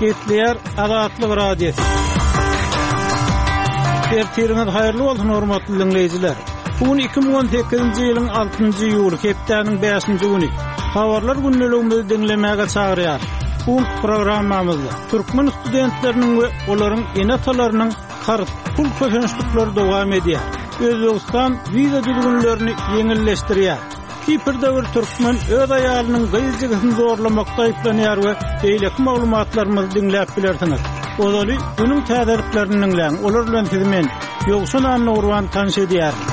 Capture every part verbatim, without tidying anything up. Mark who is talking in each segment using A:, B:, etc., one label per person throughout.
A: Gepleýär Azatlyk Radiosy. Ertiriňiz haýyrly bolsun, hormatly diňleýjiler. Bu gün iki müň on sekizinji ýylyň altynjy iýuly, hepdäniň bäşinji güni. Habarlar gündeligimizi diňlemäge çagyrýar. Bu programmamyzda türkmen studentleriniň we olaryň ene-atalarynyň karz pul kösençlikleri dowam edýär. Özbegistan wiza düzgünlerini ýeňilleşdirýär. Kiprde bir türkmen öz aýalynyň gyz jigisini zorlamakda aýyplanýar we beýleki maglumatlarymyzy diňläp bilersiňiz. Ozaly günüň täzeliklerini diňläň. Olar bilen sizi men Ýowşan Annagurban tanyş edýärin.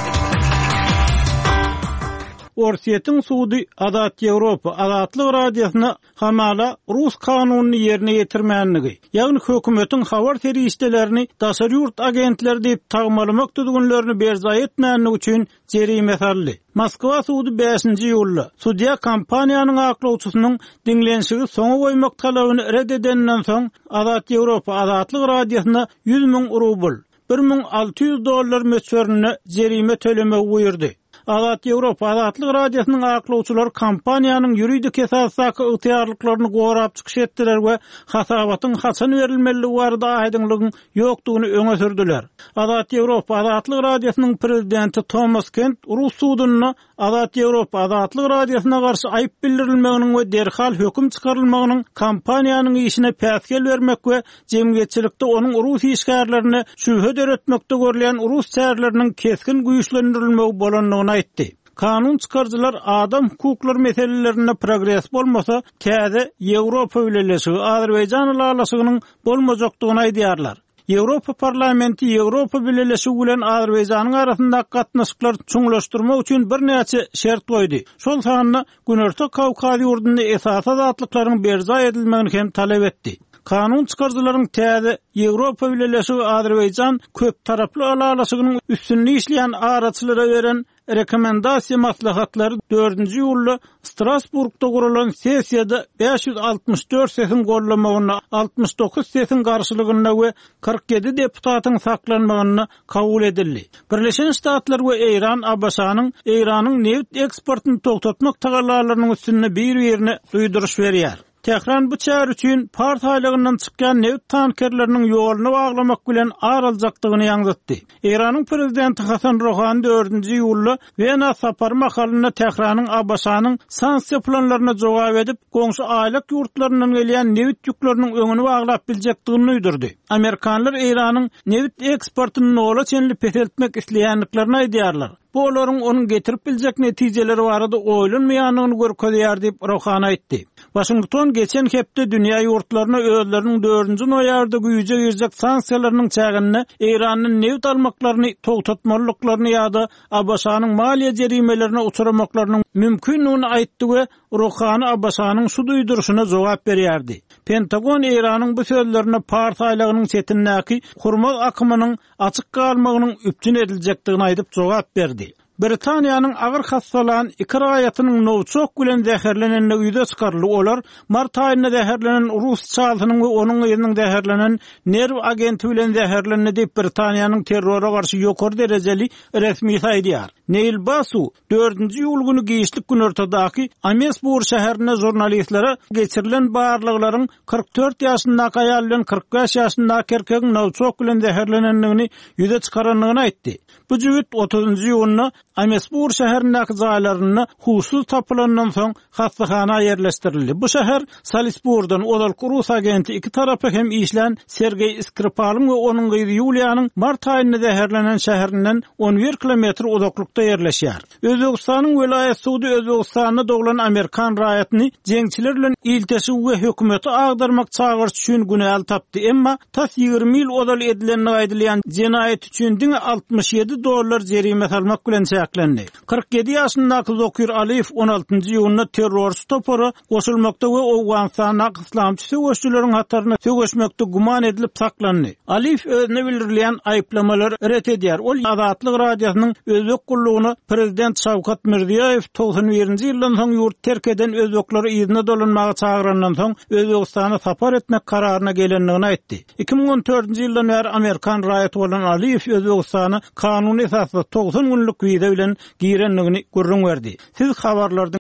A: Orsýetiň sudy Azat Ýewropa Azatlyk Radiosyna hamala rus kanunyny ýerine ýetirmänligi, ýagny hökümetiň habar serişdelerini daşary ýurt agentleri diýip tagmalamak düzgünlerini berjaý etmänligi üçin jerime saldy. Moskwa sudy bäşinji iýulda sudýa kompaniýanyň aklawçysynyň diňlenişigi soňa goýmak talabyny red edenden soň Azat Ýewropa Azatlyk Radiosyna ýüz müň rubl, bir müň alty ýüz dollar möçberinde jerime tölemegi buýurdy. Azat Ýewropa Azatlyk Radiosynyň aklawçylary kompaniýanyň ýuridik esasdaky ygtyýarlyklaryny gorap çykyş etdiler we hasabatyň haçan berilmelidigi barada aýdyňlygyň ýokdugyny öňe sürdüler. Azat Ýewropa Azatlyk Radiosynyň prezidenti Thomas Kent Rus sudunda Azat Ýewropa Azatlyk Radiosyna garşy aýyp bildirilmeginiň we derhal höküm çykarylmagynyň kompaniýanyň işine päsgel bermek we jemgyýetçilikde onuň rus işgärlerine şübhe döretmekde görülýän rus çäreleriniň kesgin güýçlendirilmegi bolandygyny aýtdy. Kanun çykaryjylar adam hukuklary meselelerinde progres bolmasa, täze Ýewropa Bileleşigi Azerbaýjan ylalaşygynyň bolmajakdygyny aýdýarlar. Ýewropa Parlamenti Ýewropa Bileleşigi bilen Azerbaýjanyň arasyndaky gatnaşyklary çuňlaşdyrmak üçin birnäçe şert goýdy. Şol sanda Günorta Kawkaz ýurdunda esasy azatlyklaryň berjaý edilmegini hem talap etdi. Kanun çykaryjylaryň täze Ýewropa Bileleşigi Azerbaýjan köp taraply ylalaşygynyň üstünde işleýän araçylara beren rekomendasiýa maslahatlary dördünji iýulda Strasburgda guralan sessiýada bäş ýüz altmyş dört sesiň gollamagynda, altmyş dokuz sesiň garşylygynda we kyrk ýedi deputatyň saklanmagynda kabul edildi. Birleşen Ştatlar we Eýran A B Ş-nyň Eýranyň neft eksportyny togtatmak tagallalarynyň üstünde bir-birine duýduryş berýär. Tehran bu çäre üçin Pars aýlagyndan çykýan neft tankerleriniň ýoluny baglamak bilen ar aljakdygyny ýaňzytdy. Eýranyň prezidenti Hasan Rohani dördünji iýulda Wena sapary mahalynda Tehranyň A B Ş-nyň sanksiýa planlaryna jogap edip, goňşy aýlak ýurtlaryndan gelýän neft ýükleriniň öňüni baglap biljekdigini duýdurdy. Amerikanlar Eýranyň neft eksportyny nola çenli peseltmek isleýändiklerini aýdýarlar. Bu olaryň onuň getirip biljek netijeleri barada oýlanmaýandygyny görkezýär diýip Rohani aýtdy. Washington geçen hepde dünýä ýurtlaryna özleriniň dördünji noýabrda güýje girjek sanksiýalarynyň çäginde Eýrandan neft almaklaryny togtatmalyklaryny ýa-da A B Ş-nyň maliýe jerimelerine uçuramaklarynyň mümkindigini aýtdy we Rohani A B Ş-nyň şu duýduryşyna jogap berýärdi. Pentagon Eýranyň bu sözlerine Pars aýlagynyň çetindäki Hurmuz akymynyň açyk galmagynyň üpjün ediljekdigini aýdyp jogap berdi. Britaniýanyň agyr hastalan iki raýatynyň Novichok bilen zäherlenendigi ýüze çykaryldy. Olar mart aýynda zäherlenen rus çalsynyň we onuň gyzynyň zäherlenen nerw agenti bilen zäherlendi diýip Britaniýanyň terrora garşy ýokary derejeli resmi aýdýar. Neil Basu dördünji iýul güni giçlik günortadaky Amesbur şäherinde žurnalistlere geçirilen barlaglaryň kyrk dört ýaşyndaky aýal bilen kyrk bäş ýaşyndaky erkegiň Novichok bilen zäherlenendigini ýüze çykarandygyny aýtdy. Bu jübüt otuzynjy iýunda Amesbur şäherindäki jaýlarynda huşsuz tapylandan soň hastahana ýerleşdirildi. Bu şäher Salisburdan ozalky rus agenti iki tarapy hem işlän Sergeý Skripalyň we onuň gyzy Ýuliýanyň mart aýynda zäherlenen şäherinden on bir kilometr uzaklykda ýerleşýär. Özbegistanyň welaýat sudy Özbegistanda doglan Amerikan raýatyny jeňçiler bilen ilteşigi we hökümeti agdarmak çagyryş üçin günäli tapdy. Emma tas ýigrimi ýyl ozal edilendigi aýdylýan jenaýat üçin diňe altmyş ýedi dollar jerime salmak bilen çäklendi. Kyrk ýedi ýaşyndaky Zokir Aliýew on altynjy iýunda terrorçy topara goşulmakda we Owganystandaky islamçy söweşçileriň hataryna söweşmekde güman edilip saklandy. Aliýew özüne bildirilýän aýyplamalary ret edýär. Ol Azatlyk Radiosynyň Özbek gullugyna prezident Şawkat Mirziýoýew togsan birinji ýyldan soň ýurt terk eden özbekleri yzyna dolanmaga çagyrandan soň Özbegistana sapar etmek kararyna gelendigini aýtdy. Iki müň on dördünji ýyldan bäri Amerikan raýaty bolan Aliýew Özbegistana kanuny esasda togsan günlük wiza bilen girendigini gürrüň berdi. Siz habarlarda